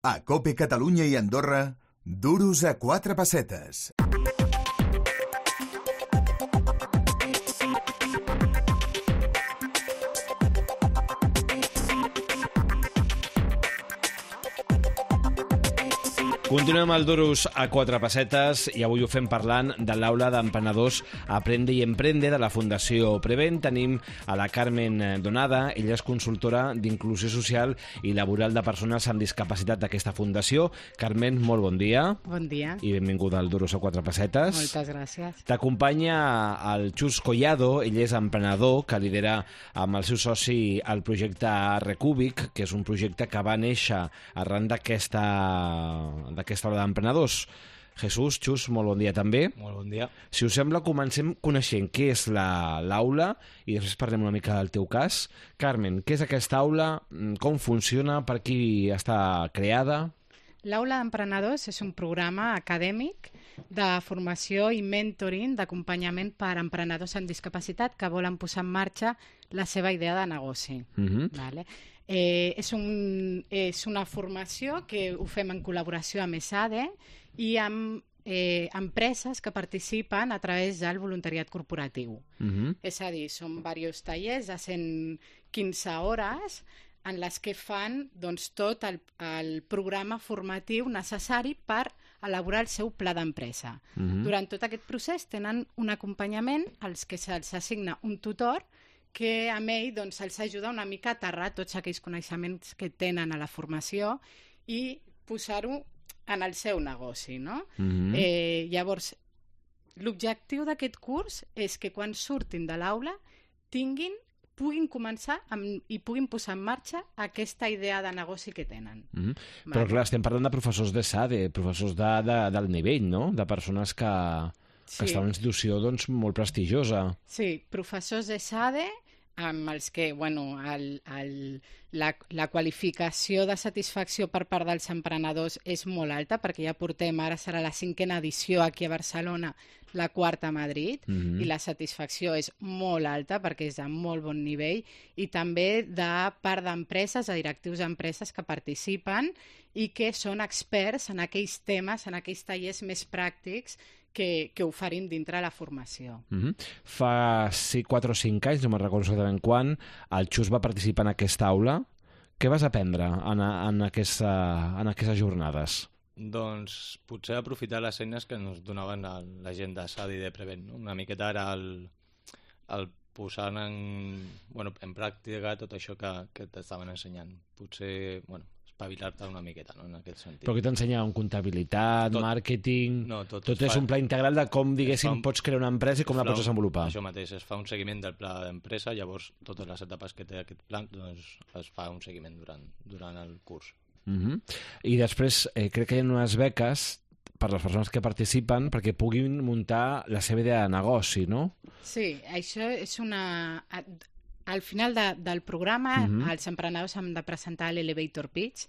A COPE Catalunya i Andorra, duros a 4 pessetes. Continuem al Duros a 4 pessetes i avui ho fem parlant de l'aula d'emprenedors Aprende i Emprende de la Fundació Prevent. Tenim a la Carmen Donada, ella és consultora d'inclusió social i laboral de persones amb discapacitat d'aquesta fundació. Carmen, molt bon dia. Bon dia. I benvinguda al Duros a 4 pessetes. Moltes gràcies. T'acompanya el Xus Collado, ell és emprenedor que lidera amb el seu soci el projecte Recúbic, que és un projecte que va néixer arran d'aquesta aula d'emprenedors. Jesús, Xus, molt bon dia també. Molt bon dia. Si us sembla, comencem coneixent què és l'aula i després parlem una mica del teu cas. Carmen, què és aquesta aula? Com funciona? Per qui està creada? L'Aula d'Emprenedors és un programa acadèmic de formació i mentoring d'acompanyament per a emprenedors amb discapacitat que volen posar en marxa la seva idea de negoci. Vale? És una formació que ho fem en col·laboració amb ESADE i amb empreses que participen a través del voluntariat corporatiu. És a dir, són diversos tallers de 115 hores en les que fan tot el programa formatiu necessari per elaborar el seu pla d'empresa. Durant tot aquest procés tenen un acompanyament als que se'ls assigna un tutor que amb ell els ajuda una mica a aterrar tots aquells coneixements que tenen a la formació i posar-ho en el seu negoci, no? Llavors, l'objectiu d'aquest curs és que quan surtin de l'aula puguin començar i puguin posar en marxa aquesta idea de negoci que tenen. Però clar, estem parlant de professors d'ESADE, professors del nivell, no? De persones que està en una institució molt prestigiosa. Sí, professors d'ESADE amb els que la qualificació de satisfacció per part dels emprenedors és molt alta, perquè ja portem, ara serà la 5ª edició aquí a Barcelona, la 4ª a Madrid, i la satisfacció és molt alta perquè és de molt bon nivell, i també de part d'empreses, de directius d'empreses que participen i que són experts en aquells temes, en aquells tallers més pràctics que oferim dintre la formació. Fa 4 o 5 anys, no me'n recordo exactament quan, el Xus va participar en aquesta aula. Què vas aprendre en aquestes jornades? Doncs potser aprofitar les eines que ens donaven la gent de SAD i de Prevent. Una miqueta ara el posar en pràctica tot això que t'estaven ensenyant. Potser, espavilar-te una miqueta, no? En aquest sentit. Però què t'ensenyaven? Comptabilitat, màrqueting... No, tot és un pla integral de com, diguéssim, pots crear una empresa i com la pots desenvolupar. Això mateix, es fa un seguiment del pla d'empresa, llavors totes les etapes que té aquest pla es fa un seguiment durant el curs. I després crec que hi ha unes beques per les persones que participen perquè puguin muntar la seva idea de negoci, no? Sí, això és una... Al final del programa, els emprenedors han de presentar l'Elevator Pitch.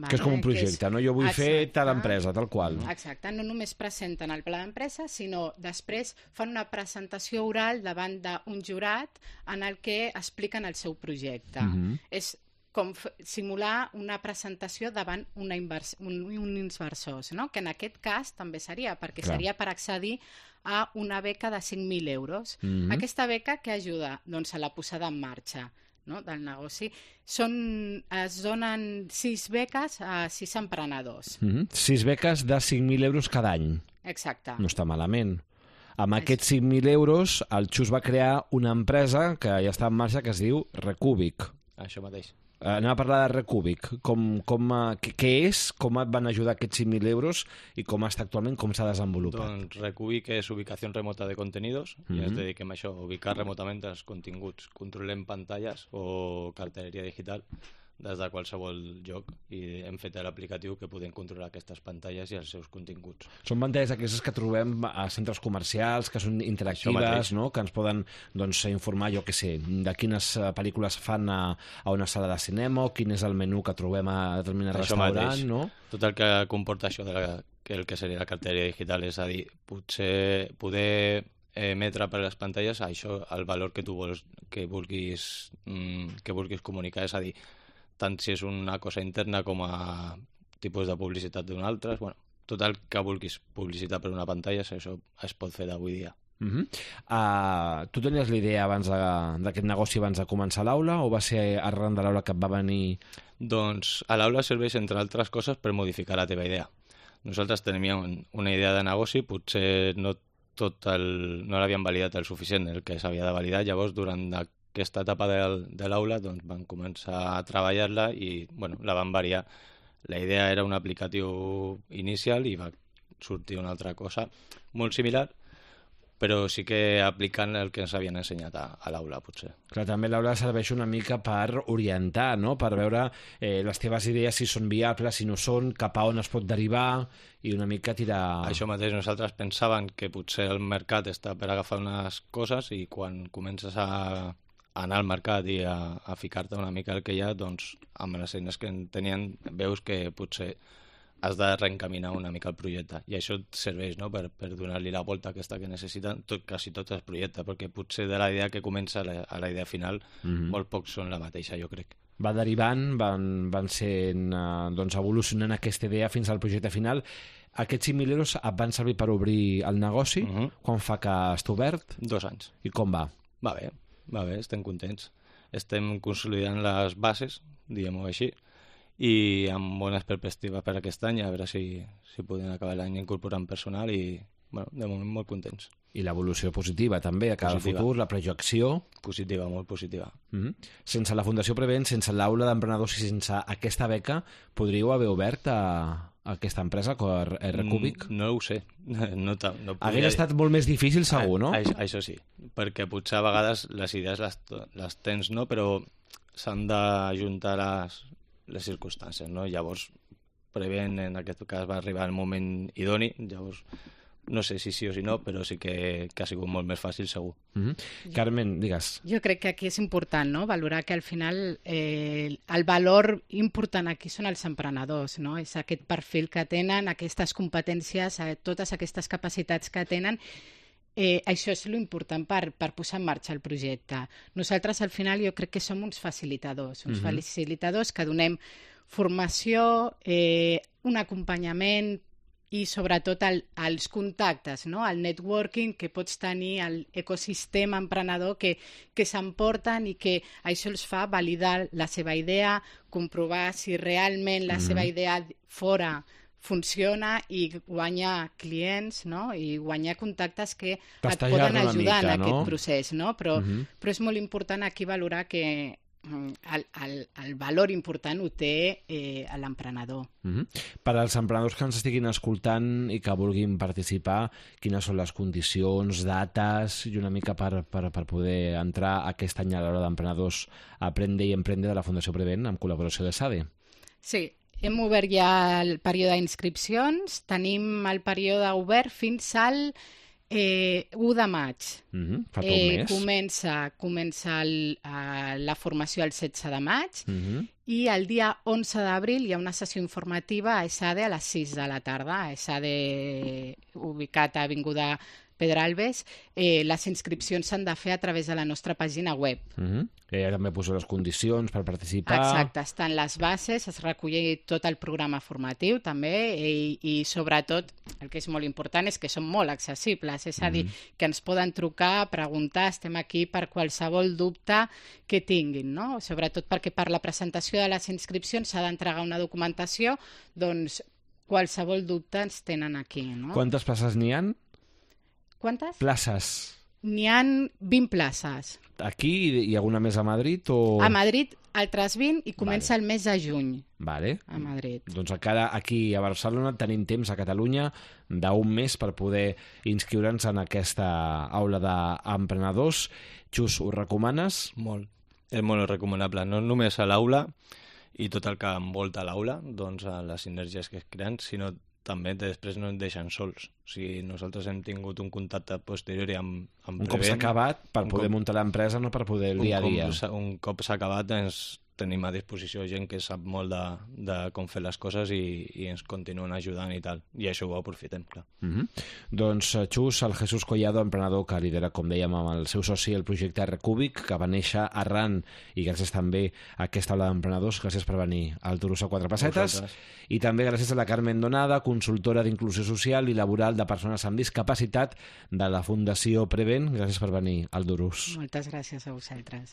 Que és com un projecte, no? Jo vull fer tal empresa, tal qual. Exacte, no només presenten el pla d'empresa, sinó després fan una presentació oral davant d'un jurat en el que expliquen el seu projecte. És com simular una presentació davant uns inversors, no? Que en aquest cas també seria, perquè seria per accedir a una beca de 5.000 euros. Aquesta beca que ajuda a la posada en marxa, no? Del negoci. Es donen 6 beques a 6 emprenedors. 6 beques de 5.000 euros cada any. Exacte. No està malament. Amb aquests 5.000 euros, el Xus va crear una empresa que ja està en marxa que es diu Recúbic. Això mateix. Anem a parlar de Recúbic. Què és, com et van ajudar aquests 5.000 euros i com està actualment, com s'ha desenvolupat? Doncs Recúbic és ubicació remota de contenidos i ens dediquem a això, a ubicar remotament els continguts. Controlem pantalles o cartelleria digital des de qualsevol lloc i hem fet l'aplicatiu que podem controlar aquestes pantalles i els seus continguts. Són pantalles aquestes que trobem a centres comercials, que són interactives, no? Que ens poden informar, jo què sé, de quines pel·lícules fan a una sala de cinema o quin és el menú que trobem a determinat restaurant, no? Tot el que comporta això el que seria la cartelleria digital, és a dir, potser poder emetre per les pantalles això, el valor que tu vols que vulguis comunicar, és a dir, tant si és una cosa interna com a tipus de publicitat d'un altre, bueno, tot el que vulguis publicitar per una pantalla, això es pot fer d'avui dia. Tu tenies la idea abans d'aquest negoci abans de començar l'aula o va ser arran de l'aula que et va venir? Doncs a l'aula serveix, entre altres coses, per modificar la teva idea. Nosaltres teníem una idea de negoci, potser no l'havíem validat el suficient, el que s'havia de validar. Llavors, durant aquesta etapa de l'aula, doncs, vam començar a treballar-la i la vam variar. La idea era un aplicatiu inicial i va sortir una altra cosa molt similar, però sí que aplicant el que ens havien ensenyat a l'aula, potser. Clar, també l'aula serveix una mica per orientar, no? Per veure les teves idees si són viables, si no són, cap a on es pot derivar i una mica tirar... Això mateix, nosaltres pensàvem que potser el mercat està per agafar unes coses i quan comences a anar al mercat i a ficar-te una mica el que hi ha, doncs amb les eines que en tenien veus que potser has de reencaminar una mica el projecte. I això et serveix, no?, per donar-li la volta aquesta que necessiten quasi tots els projectes, perquè potser de la idea que comença a la idea final molt pocs són la mateixa, jo crec. Va derivant, van sent, evolucionant aquesta idea fins al projecte final. Aquests 5.000 euros et van servir per obrir el negoci? Quan fa que està obert? 2 anys. I com va? Va bé, estem contents. Estem consolidant les bases, diguem-ho així, i amb bones perspectives per aquest any, a veure si podem acabar l'any incorporant personal i, de moment molt contents. I l'evolució positiva també, a cada futur, la projecció... Positiva, molt positiva. Sense la Fundació Prevent, sense l'aula d'emprenedors i sense aquesta beca, podríeu haver obert aquesta empresa, R-Cubic? No ho sé. No Hauria estat molt més difícil, segur, no? Això sí, perquè potser a vegades les idees les tens, no? Però s'han d'ajuntar les circumstàncies, no? Llavors, Prevent, en aquest cas, va arribar el moment idoni, llavors no sé si sí o si no, però sí que ha sigut molt més fàcil, segur. Carmen, digues. Jo crec que aquí és important, no?, valorar que al final el valor important aquí són els emprenedors, no? És aquest perfil que tenen, aquestes competències, totes aquestes capacitats que tenen. Això és l'important per posar en marxa el projecte. Nosaltres, al final, jo crec que som uns facilitadors que donem formació, un acompanyament i, sobretot, els contactes, no? El networking que pots tenir, l'ecosistema emprenedor que s'emporten i que això els fa validar la seva idea, comprovar si realment la seva idea fora funciona i guanyar clients, no? I guanyar contactes que et poden ajudar en aquest procés, no? Però és molt important aquí valorar que el valor important ho té l'emprenedor. Per als emprenedors que ens estiguin escoltant i que vulguin participar, quines són les condicions, dates i una mica per poder entrar aquest any a l'hora d'emprenedors Aprende i Emprende de la Fundació Prevent amb col·laboració de SADE? Sí, hem obert ja el període d'inscripcions, tenim el període obert fins al 1 de maig. Fa tot un mes. Comença la formació el 16 de maig i el dia 11 d'abril hi ha una sessió informativa a ESADE a les 6 de la tarda. A ESADE, ubicat a Avinguda Pedralbes. Les inscripcions s'han de fer a través de la nostra pàgina web. També poso les condicions per participar. Exacte, estan les bases, es recull tot el programa formatiu també i sobretot el que és molt important és que són molt accessibles, és a dir, que ens poden trucar, preguntar, estem aquí per qualsevol dubte que tinguin, no? Sobretot perquè per la presentació de les inscripcions s'ha d'entregar una documentació, doncs qualsevol dubte ens tenen aquí, no? Quantes places n'hi ha? Quantes? Places. N'hi ha 20 places. Aquí hi ha alguna més a Madrid? O... A Madrid, altres 20 i comença el mes de juny. Vale. A Madrid. Doncs encara aquí a Barcelona tenim temps a Catalunya d'un mes per poder inscriure'ns en aquesta aula d'emprenedors. Xus, ho recomanes? Molt. És molt recomanable. No només a l'aula i tot el que envolta l'aula, doncs a les sinergies que es creen, sinó també després no ens deixen sols. O sigui, nosaltres hem tingut un contacte posteriori amb un cop s'ha acabat per poder muntar l'empresa, no per poder el dia a dia. Un cop s'ha acabat ens tenim a disposició gent que sap molt de com fer les coses i ens continuen ajudant i tal. I això ho aprofitem, clar. Doncs, Xus, el Jesús Collado, emprenedor que lidera, com dèiem, amb el seu soci el projecte Recúbic, que va néixer arran, i gràcies també a aquesta aula d'emprenedors, gràcies per venir al Duros a Quatre Pessetes, i també gràcies a la Carmen Donada, consultora d'inclusió social i laboral de persones amb discapacitat de la Fundació Prevent. Gràcies per venir al Duros. Moltes gràcies a vosaltres.